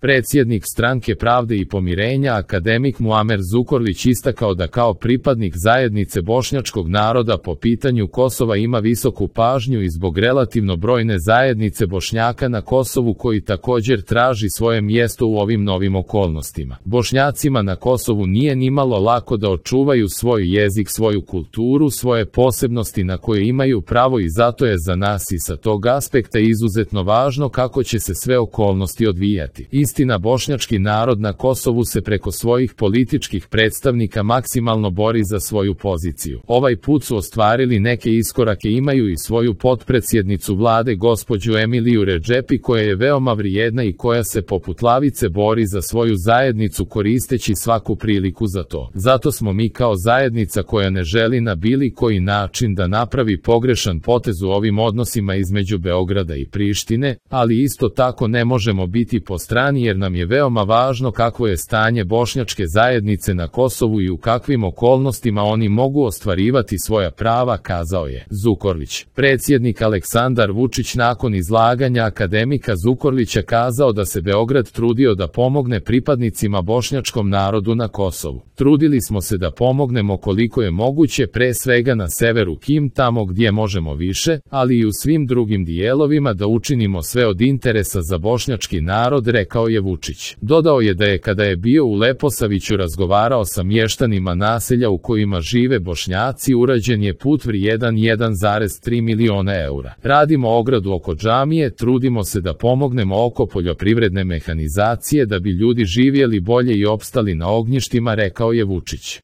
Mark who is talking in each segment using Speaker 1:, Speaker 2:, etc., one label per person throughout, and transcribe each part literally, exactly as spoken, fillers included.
Speaker 1: Predsjednik Stranke pravde i pomirenja akademik Muamer Zukorlić istakao da kao pripadnik zajednice bošnjačkog naroda po pitanju Kosova ima visoku pažnju i zbog relativno brojne zajednice Bošnjaka na Kosovu koji također traži svoje mjesto u ovim novim okolnostima. Bošnjacima na Kosovu nije nimalo lako da očuvaju svoj jezik, svoju kulturu, svoje posebnosti na koje imaju pravo i zato je za nas i sa tog aspekta izuzetno važno kako će se sve okolnosti odvijati. Istina, bošnjački narod na Kosovu se preko svojih političkih predstavnika maksimalno bori za svoju poziciju. Ovaj put su ostvarili neke iskorake, imaju i svoju potpredsjednicu vlade gospođu Emiliju Redžepi koja je veoma vrijedna i koja se poput lavice bori za svoju zajednicu koristeći svaku priliku za to. Zato smo mi kao zajednica koja ne želi na bilo koji način da napravi pogrešan potez u ovim odnosima između Beograda i Prištine, ali isto tako ne možemo biti po strani jer nam je veoma važno kakvo je stanje bošnjačke zajednice na Kosovu i u kakvim okolnostima oni mogu ostvarivati svoja prava, kazao je Zukorlić. Predsjednik Aleksandar Vučić nakon izlaganja akademika Zukorlića kazao da se Beograd trudio da pomogne pripadnicima bošnjačkom narodu na Kosovu. Trudili smo se da pomognemo koliko je moguće, pre svega na severu Kim, tamo gdje možemo više, ali i u svim drugim dijelovima da učinimo sve od interesa za bošnjački narod, rekao je Vučić. Dodao je da je kada je bio u Leposaviću razgovarao sa mještanima naselja u kojima žive Bošnjaci, urađen je put vrijedan jedan zarez tri miliona eura. Radimo ogradu oko džamije, trudimo se da pomognemo oko poljoprivredne mehanizacije da bi ljudi živjeli bolje i opstali na ognjištima, rekao je Vučić.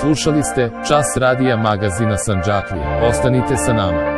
Speaker 1: Slušali ste Čas radija magazina Sandžaklija. Ostanite sa nama.